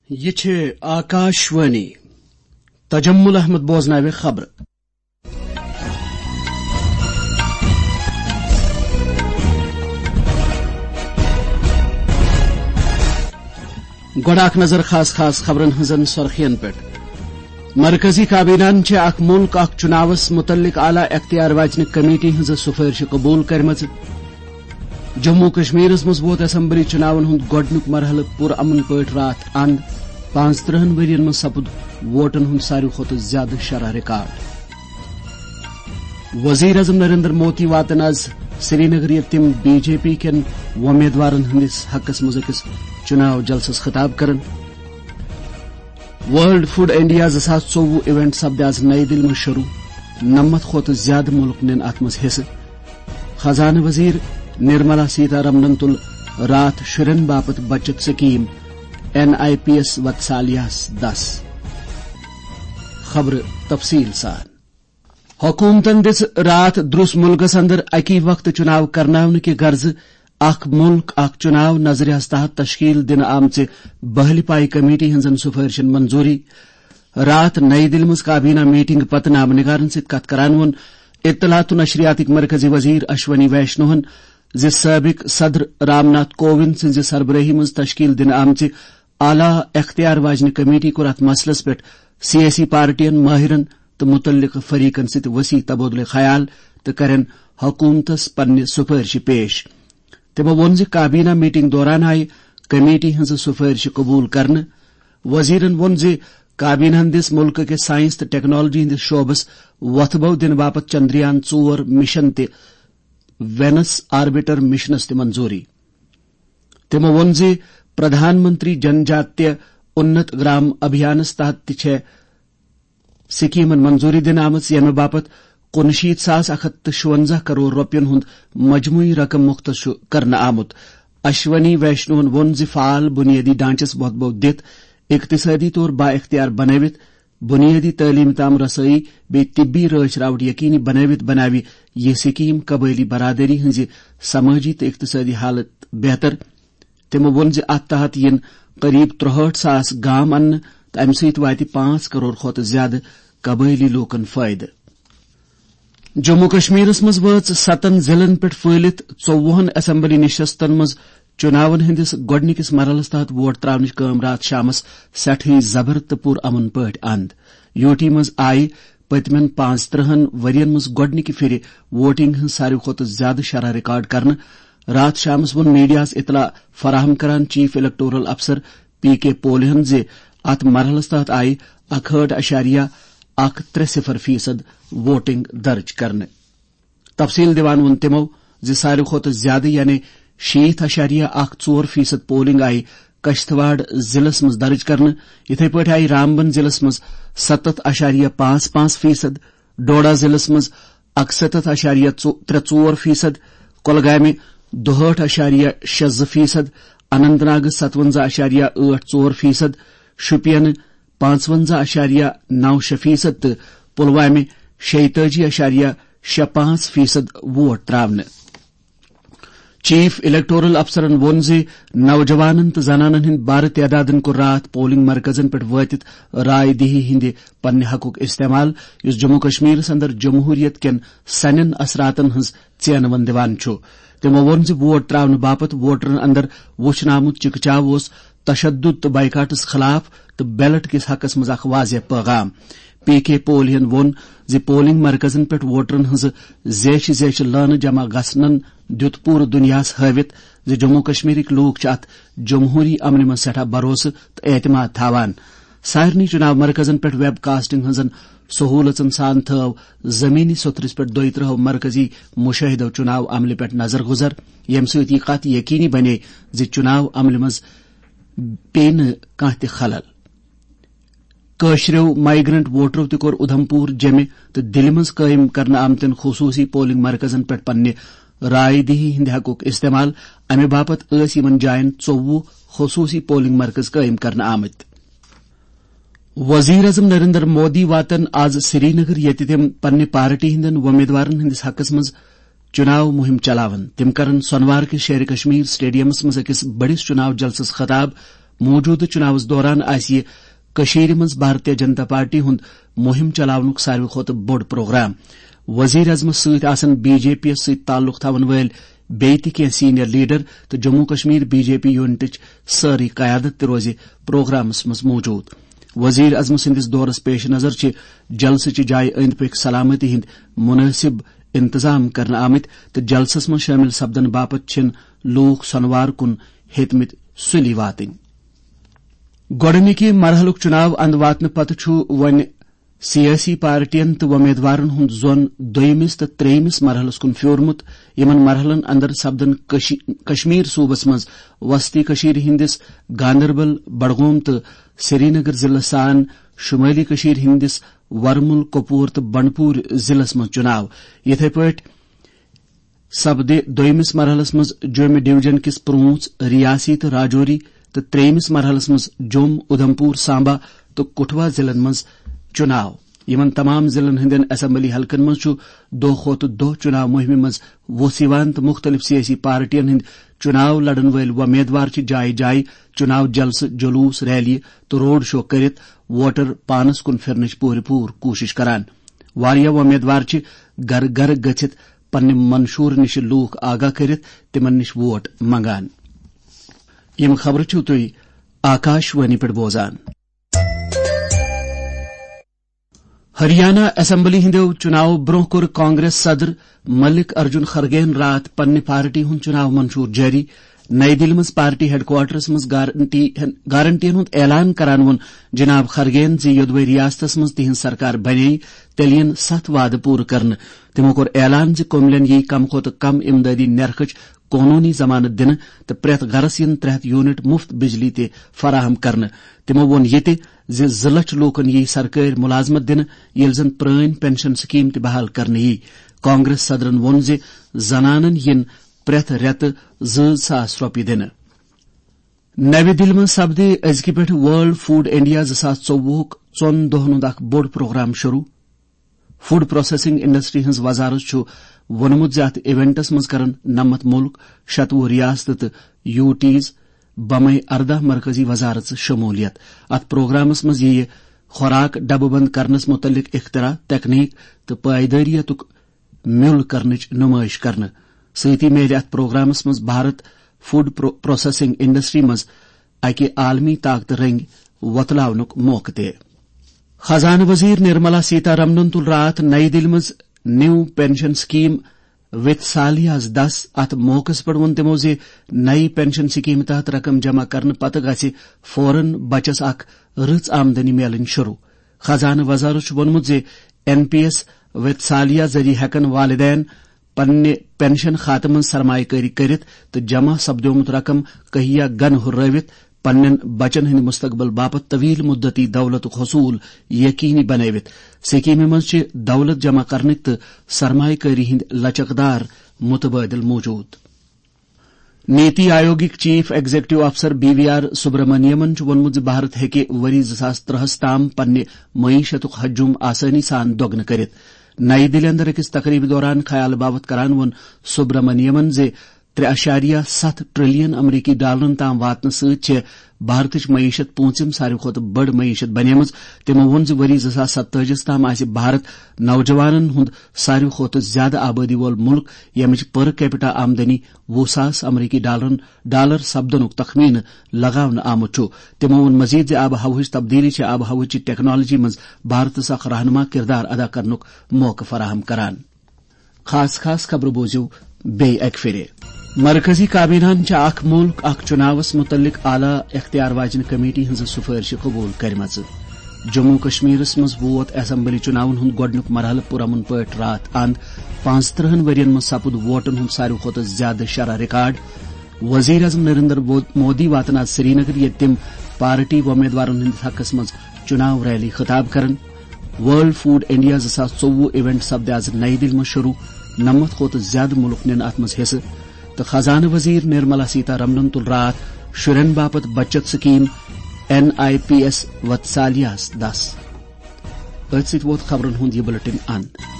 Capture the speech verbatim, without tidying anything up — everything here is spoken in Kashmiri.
یہِ چھِ آکاشوانی۔ تجمل احمد بوزناوِ خبرٕ۔ گۄڈٕ اکھ نظر خاص خاص خبرن ہٕنٛزن سرخین پٮ۪ٹھ۔ مرکزی کابینہن چھِ اکھ مُلک اکھ چُناوس مُتعلق اعلیٰ اختیار واجنہِ کمیٹی ہٕنٛزٕ سُفٲرشہِ قبوٗل کٔرمٕژ۔ جموں کشمیرس منٛز ووت اسمبلی چُناون ہُنٛد گۄڈٕنیُک مرحلہٕ پُرامن پٲٹھۍ راتھ اند۔ پانٛژترٕٛہن ؤرین منٛز سپُد ووٹن ہُنٛد ساروی کھۄتہٕ زیادٕ شرح ریکارڈ۔ وزیر اعظم نریندر مودی واتن آز سرینگر، ییٚتہِ تِم بی جے پی کٮ۪ن وۄمیدوارن ہٕنٛدِس حقس منٛز أکِس چُناو جلسس خطاب کرن۔ ورلڈ فوڈ انڈیا زٕ ساس ژوٚوُہ ایونٹ سپدِ آز نئی دِلہِ منٛز شروع۔ نَمَتھ کھۄتہٕ زیادٕ مُلک نِن اتھ منٛز حصہٕ۔ خزانہٕ وزیر نرملا سیتارمنن تُل راتھ شُرٮ۪ن باپتھ بچت scheme N I P S وتسالیاہس دس۔ خبرٕ تفصیٖل سان۔ حکومتن دِژ راتھ درٛس مُلکس اندر اکی وقتہٕ چُناو کرناونہٕ کہِ غرضہٕ اکھ مُلک اکھ چُناو نظریہس تحت تشکیل دِنہٕ آمژِ بحلہِ پایہِ کمیٹی ہٕنٛزن سُفٲرشن منظوٗری۔ راتھ نئی دِلہِ منٛز کابینہ میٹنگ پتہٕ نامہٕ نگارن سۭتۍ کتھ کران ووٚن اطلاعات و نشریاتٕکۍ مرکزی وزیر اشونی ویشنوہن زِ سٲبق صدر رام ناتھ کووند سٕنٛزِ سربرٲہی منٛز تشکیل دِنہٕ آمژِ اعلیٰ اختیار واجنہِ کمیٹی کوٚر اتھ مسلس پٮ۪ٹھ سیٲسی پارٹین، مٲہرن تہٕ مُتعلقہٕ فریقن سۭتۍ وسیع تبادلہ خیال تہٕ کرن حکومتس پننہِ سُفٲرشہِ پیش۔ تِمو ووٚن زِ کابینہ میٹنگ دوران آیہِ کمیٹی ہٕنٛزٕ سُفٲرشہِ قبوٗل کرنہٕ۔ وزیرن ووٚن زِ کابینہن دِژ مُلکہٕ کِس ساینس تہٕ ٹیکنالوجی ہٕنٛدِس شعبس وۄتھٕ بو دِنہٕ باپتھ چندریان ژور مشن تہِ وینس آربٹر مشنس تہِ منظوٗری۔ تِمو ووٚن زِ پردھان منتری جن جاتیہ اُنت گرام ابھیانس تحت تہِ چھےٚ سکیمن منظوٗری دِنہٕ آمٕژ، ییٚمہِ باپتھ کُنشیٖتھ ساس اکھ ہتھ تہٕ شُونزہ کرور رۄپین ہُنٛد مجموعی رقم مختص چھُ کرنہٕ آمُت۔ اشونی ویشنوہن ووٚن زِ فعال بُنیٲدی ڈھانچس وۄتھٕ بو دِتھ، اقتصٲدی طور با اختیار بنٲوِتھ، بُنیٲدی تعلیٖم تام رسٲیی بیٚیہِ طبی رٲچھ راوٹھ یقینی بنٲوِتھ بناوِ یہِ سکیٖم قبٲیلی برادری ہٕنٛزِ سمٲجی تہٕ اقتصٲدی حالت بہتر۔ تِمو ووٚن زِ اتھ تحت یِن قریب ترٛہٲٹھ ساس گام اننہٕ تہٕ امہِ سۭتۍ واتہِ پانٛژھ کرور کھۄتہٕ زیادٕ قبٲیلی لوٗکن فٲیدٕ۔ جموں کشمیرس منٛز وٲژ ستن ضلعن پٮ۪ٹھ پھٔہلِتھ ژوٚوُہن اسمبلی نشستن منٛز چُناون ہٕنٛدِس گۄڈٕنِکِس مرحلس تحت ووٹ ترٛاونٕچ کٲم راتھ شامس سٮ۪ٹھٕے زبر تہٕ پُر امن پٲٹھۍ اند۔ یوٗ ٹی منٛز آیہِ پٔتمٮ۪ن پانٛژترٕٛہن ؤرین منٛز گۄڈٕنِکہِ پھِرِ ووٹنگ ہٕنٛز ساروی کھۄتہٕ زیادٕ شرح ریکارڈ کرنہٕ۔ راتھ شامس ووٚن میڈیاہس اطلاع فراہم کران چیف الیکٹورل افسر پی کے پولہن زِ اتھ مرحلس تحت آیہِ اکہٲٹھ اعشاریہ اکھ ترٛےٚ صفر فیصد ووٹنگ درج کرنہٕ۔ تفصیل دِوان ووٚن تِمو زِ ساروی کھۄتہٕ زیادٕ یعنی شیٖتھ اعشاریہ اکھ ژور فیصد پولنگ آیہِ کشتواڑ ضلعس منٛز درج کرنہٕ۔ یِتھے پٲٹھۍ آیہِ رامبن ضلعس منٛز ستتھ اعشاریہ پانٛژھ پانٛژھ فیصد، ڈوڈا ضلعس منٛز اکستتھ اعشاریہ ترٛےٚ ژور فیصد، کۄلگامہِ دُہٲٹھ اعشاریہ شےٚ زٕ فیصد، اننت ناگس ستونزہ اعشاریہ ٲٹھ ژور فیصد، شُپینہٕ پانٛژونزہ اعشاریہ نو شےٚ فیصد تہٕ پلوامہِ شیٚیہِ تٲجی اعشاریہ شےٚ پانٛژھ فیصد ووٹ ترٛاونہٕ۔ چیف الیکٹورل افسرن ووٚن زِ نوجوانن تہٕ زنانن ہٕنٛدۍ بارٕ تعدادن کوٚر راتھ پولنگ مرکزن پٮ۪ٹھ وٲتِتھ راے دہی ہٕنٛدِ پننہِ حقُک استعمال، یُس جموں کشمیرس اندر جمہوریت کٮ۪ن سنٮ۪ن اثراتن ہٕنٛز ژینہٕ ون دِوان چھُ۔ تِمو ووٚن زِ ووٹ ترٛاونہٕ باپتھ ووٹرن اندر وُچھنہٕ آمُت چکچاو اوس تشدد تہٕ بائیکاٹس خلاف تہٕ بیلٹ کِس حقس منٛز اکھ واضح پیغام۔ پی کے پولہن ووٚن زِ پولنگ مرکزن پٮ۪ٹھ ووٹرن ہٕنٛزٕ زیچھِ زیچھِ لٲنہٕ جمع گژھنن دیُت پوٗرٕ دُنیاہس ہٲوِتھ زِ جموں کشمیرٕکۍ لوٗکھ چھِ اتھ جمہوری عملہِ منٛز سٮ۪ٹھاہ بھروسہٕ تہٕ اعتماد تھاوان۔ سارنٕے چُناو مرکزن پٮ۪ٹھ ویب کاسٹنگ ہٕنٛزن سہوٗلژن سان تھٲو زمینی سوٚتھرِس پٮ۪ٹھ دۄیہِ ترٕٛہو مرکزی مُشٲہِدو چُناو عملہِ پٮ۪ٹھ نظر گُزر، ییٚمہِ سۭتۍ یہِ کتھ یقینی بنے زِ چُناو عملہِ منٛز پیٚیہِ نہٕ کانٛہہ تہِ خلل۔ کٲشرٮ۪و مائیگرنٹ ووٹرو تہِ کوٚر اُدھمپور، جیٚمہِ تہٕ دِلہِ منٛز قٲیِم کرنہٕ آمتٮ۪ن خصوٗصی پولنگ مرکزن پٮ۪ٹھ پننہِ راے دہی ہٕنٛدِ حقُک استعمال۔ امہِ باپتھ ٲسۍ یِمن جاین ژوٚوُہ خصوٗصی پولنگ مرکز قٲیِم کرنہٕ آمٕتۍ۔ وزیر اعظم نریندر مودی واتن آز سرینگر، ییٚتہِ تِم پننہِ پارٹی ہٕنٛدٮ۪ن وۄمیدوارن ہٕنٛدِس حقس منٛز چُناو مُہِم چلاون۔ تِم کرن سۄنوار کِس شیرِ کشمیر سٹیڈیمس منٛز أکِس بٔڑِس چُناو جلسس خطاب۔ موجودٕ چُناوس دوران آسہِ یہِ کٔشیٖرِ منٛز بھارتیہ جنتا پارٹی ہُنٛد مُہِم چلاونُک ساروی کھۄتہٕ بوٚڑ پروگرام۔ وزیر اعظمس سۭتۍ آسن بی جے پی یس سۭتۍ تعلق تھاون وٲلۍ بیٚیہِ تہِ کینٛہہ سینئر لیڈر تہٕ Jammu Kashmir B J P یونٹٕچ سٲرٕے قیادت تہِ روزِ پروگرامس منٛز موجود۔ وزیر اعظم سٕنٛدِس دورس پیش نظر چھِ جلسہٕ چہِ جایہِ أنٛدۍ پٔکۍ سلامتی ہٕنٛدۍ مُنٲسِب انتظام کرنہٕ آمٕتۍ تہٕ جلسس منٛز شٲمِل سپدن باپتھ چھِن لوٗکھ سۄنوار کُن ہیٚتمٕتۍ سُلی واتٕنۍ۔ گۄڈٕنِکہِ مرحلُک چُناو اندٕ واتنہٕ پتہٕ چھُ وۄنۍ سیٲسی پارٹین تہٕ وۄمیدوارن ہُنٛد زۄن دوٚیمِس تہٕ ترٛیٚیمِس مرحلس کُن پھیورمُت۔ یِمن مرحلن اندر سپدن کشی-، کشمیر صوبس منٛز وسطی کشمیر ہٕنٛدِس گاندربل، بڈگوم تہٕ سرینگر ضلعس سان شمٲلی کشمیر ہٕنٛدِس ورمُل، کۄپور تہٕ بنڈپور ضلعس منٛز چُناو۔ یِتھے پٲٹھۍ سپدِ دوٚیمِس مرحلس منٛز جوٚمہِ ڈویژن کِس پرونٛژھ، ریاسی تہٕ راجوری تہٕ ترٛیٚیمِس مرحلس منٛز جوٚم، اُدھمپور، سامبا تہٕ کٹھوا ضلعن منٛز چُناو۔ یِمن تمام ضلعن ہٕنٛدٮ۪ن اسمبلی حلقن منٛز چھُ دۄہ کھۄتہٕ دۄہ چُناو مُہِمہِ منٛز ووٚژھ یِوان تہٕ مُختٔلِف سیٲسی پارٹین ہٕنٛدۍ چُناو لڑن وٲلۍ وۄمیدوار چھِ جایہِ جایہِ چُناو جلسہٕ، جلوٗس، ریلی تہٕ روڈ شو کٔرِتھ ووٹر پانس کُن پھِرنٕچ پوٗرٕ پوٗرٕ کوٗشِش کران۔ واریاہ وۄمیدوار چھِ گرٕ گرٕ گٔژھِتھ پننہِ منشور نِش لوٗکھ آگاہ کٔرِتھ تِمن نِش ووٹ منگان۔ یِم خبرٕ چھِو تُہۍ آکاش وانی پٮ۪ٹھ بوزان۔ ہریانہ اسمبلی ہٕنٛدیو چُناوو برٛونٛہہ کوٚر کانگریس صدر ملک ارجن خرگین راتھ پننہِ پارٹی ہُنٛد چُناو منشور جٲری۔ نئی دِلہِ منٛز پارٹی ہیڈ کوارٹرس منٛز گارنٹی، گارنٹین ہُنٛد اعلان کران ووٚن جناب خرگین زِ یوٚدوے ریاستس منٛز تِہنٛز سرکار بنے، تیٚلہِ یِن ستھ وعدٕ پوٗرٕ کرنہٕ۔ تِمو کوٚر اعلان زِ کوملین یِیہِ کم کھۄتہٕ کم امدادی نرخٕچ قونوٗنی ضمانت دِنہٕ تہٕ پرٛٮ۪تھ گرس یِن ترٛےٚ ہتھ یونٹ مُفت بجلی تہِ فراہم کرنہٕ۔ تِمو ووٚن یہِ تہِ زِ زٕ لچھ لوٗکن یِیہِ سرکٲرۍ مُلازمت دِنہٕ، ییٚلہِ زن پرٲنۍ پنشن سکیٖم تہِ بحال کرنہٕ یِیہِ۔ کانگریس صدرن ووٚن زِ زنانن یِن پرٛٮ۪تھ رٮ۪تہٕ زٕ ساس رۄپیہِ دِنہٕ۔ نَوِ دِلہِ منٛز سپدِ أزکہِ پٮ۪ٹھ ورلڈ فوڈ انڈیا زٕ ساس ژوٚوُہُک ژۄن دۄہن ہُنٛد اکھ بوٚڑ پروگرام شروع۔ فوڈ پروسیسنگ انڈسٹری ہٕنٛز وزارت چھُ ووٚنمُت زِ اتھ ایونٹس منٛز کرن نَمَتھ مُلک، شتوُہ ریاستہٕ تہٕ یوٗ ٹیز بمے ارداہ مرکزی وزارت شمولیت۔ اتھ پروگرامس منٛز یِیہِ خوراک ڈبہٕ بند کرنس مُتعلق اختراع، تکنیک تہٕ پائیدٲریتُک میُل کرنٕچ نمٲیش کرنہٕ۔ سۭتی میلہِ اتھ پروگرامس منٛز بھارت فوڈ پرو-، پروسیسنگ انڈسٹری منٛز اکہِ عالمی طاقتہٕ رنگۍ وۄتلاونُک موقعہٕ تہِ۔ خزانہٕ وزیر نرملا سیتا رمنن تُل راتھ نئی دِلہِ منٛز نیو پنشن سکیٖم وتسالیاہس دس۔ اتھ موقعس پٮ۪ٹھ ووٚن تِمو زِ نئی پنشن سکیٖمہِ تحت رقم جمع کرنہٕ پتہٕ گژھِ فوراً بچس اکھ رٕژ آمدنی میلٕنۍ شروع۔ خزانہٕ وزارت چھُ ووٚنمُت زِ این پی ایس وتسالیا ذٔریعہٕ ہٮ۪کن والدین پننہِ پنشن خاتہٕ منٛز سرمایہ کٲری کٔرِتھ تہٕ جمع سپدیومُت رقم کہیا گن ہُرٲوِتھ پننٮ۪ن بچن ہٕنٛدِ مستقبل باپتھ طویل مدتی دولتُک حصول یقینی بنٲوِتھ۔ سکیمہِ منٛز چھِ دولت جمع کرنٕکۍ تہٕ سرمایہ کٲری ہٕنٛدۍ لچکدار متبادل موجود۔ نیتی آیوگٕکۍ چیف ایگزیکٹو افسر بی وی آر سبرامنیمن چھُ ووٚنمُت زِ بھارت ہیٚکہِ ؤری زٕ ساس ترٛہَس تام پننہِ معیشتُک حجم آسٲنی سان دۄگنہٕ کٔرِتھ۔ نئی دِلہِ اندر أکِس تقریبہِ دوران خیال باوت کران ووٚن سبرامنیمن زِ ترٛےٚ اعشاریہ ستھ ٹریلین امریکی ڈالرن تام واتنہٕ سۭتۍ چھےٚ بھارتٕچ معیشت پوٗنٛژِم ساروی کھۄتہٕ بٔڑ معیشت بنیمٕژ۔ تِمو ووٚن زِ ؤری زٕ ساس ستٲجِس تام آسہِ بھارت نوجوانن ہُنٛد ساروی کھۄتہٕ زیادٕ آبٲدی وول مُلک، ییٚمِچ per capita آمدنی وُہ ساس امریکی ڈالرن، ڈالر سپدنُک تخمینہٕ لگاونہٕ آمُت چھُ۔ تِمو ووٚن مزید زِ آب و ہوہٕچ تبدیلی چھِ آب و ہوہٕچ ٹیکنالوجی منٛز بھارتس اکھ رہنما کردار ادا کرنُک موقعہٕ فراہم کران۔ خاص خاص خبرٕ بوٗزِو بیٚیہِ اکہِ پھِرِ۔ مرکزی کابیناہن چھِ اکھ مُلک اکھ چُناوس مُتعلق اعلیٰ اختیار واجنہِ کمیٹی ہٕنٛزٕ سُفٲرشہِ قبوٗل کٔرمٕژ۔ جموں کشمیرس منٛز ووت اسمبلی چُناون ہُنٛد گۄڈٕنیُک مرحلہٕ پُرامن پٲٹھۍ راتھ اند۔ پانٛژترٕہن ؤرین منٛز سپُد ووٹن ہُنٛد ساروی کھۄتہٕ زیادٕ شرح ریکارڈ۔ وزیر اعظم نریندر مو-، مودی واتن آز سرینگر، ییٚتہِ تِم پارٹی وۄمیدوارن ہٕنٛدِس حقس منٛز چُناو ریلی خطاب کرن۔ ورلڈ فوڈ انڈیا زٕ ساس ژوٚوُہ ایونٹ سپدِ آز نئی دِلہِ منٛز شروع۔ نَمَتھ کھۄتہٕ زیادٕ مُلک نِن اَتھ منٛز حصہٕ۔ تہٕ خزانہٕ وزیر نرملا سیتا رمنن تُل راتھ شُرٮ۪ن باپتھ بچت scheme N I P S وتسالیاہس دس۔ أتھۍ سۭتۍ ووت خبرن ہُنٛد یہِ بلیٹن اند۔